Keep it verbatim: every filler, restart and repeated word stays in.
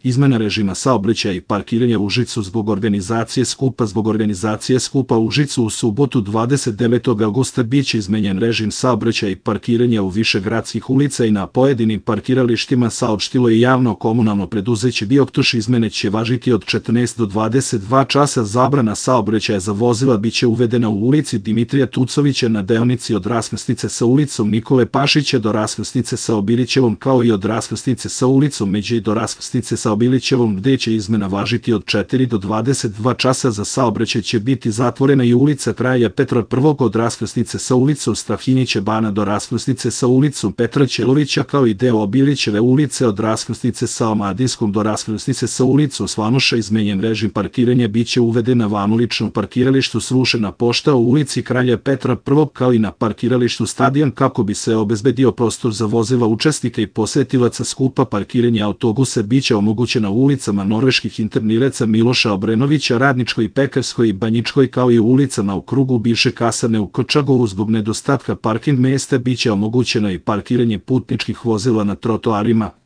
Izmena režima saobraćaja i parkiranja u Užicu zbog organizacije skupa. Zbog organizacije skupa u Užicu u subotu dvadeset devetog avgusta biće izmenjen režim saobraćaja i parkiranja u više gradskih ulica i na pojedinim parkiralištima, saopštilo je javno komunalno preduzeće Bioktoš. Izmene će važiti od četrnaest do dvadeset dva časa. Zabrana saobraćaja za vozila biće uvedena u ulici Dimitrija Tucovića na deonici od raskrsnice sa ulicom Nikole Pašića do raskrsnice sa Obilićevom, kao i od raskrsnice sa ulicom Međe do raskrsnice sa Obilićevom, gde će izmena važiti od četiri do dvadeset dva časa. Za saobraćaj će biti zatvorena i ulica Kralja Petra prvog od raskrsnice sa ulicom Strahinjića Bana do raskrsnice sa ulicom Petra Ćelovića, kao i deo Obilićeve ulice od raskrsnice sa Omadinskom do raskrsnice sa ulicom Slanuša. Izmenjen režim parkiranja biće uveden na vanuličnom parkiralištu Srušena pošta u ulici Kralja Petra prvog, kao i na parkiralištu Stadion, kako bi se obezbedio prostor za vozila učesnika i posetilaca skupa. Parkiranje autobusa biće omogućena u ulicama Norveških internireca Miloša Obrenovića, Radničkoj, Pekarskoj i Banjičkoj, kao i u ulicama u krugu bivše kasarne u Kočagovu. Zbog nedostatka parking mesta biće omogućeno i parkiranje putničkih vozila na trotoarima.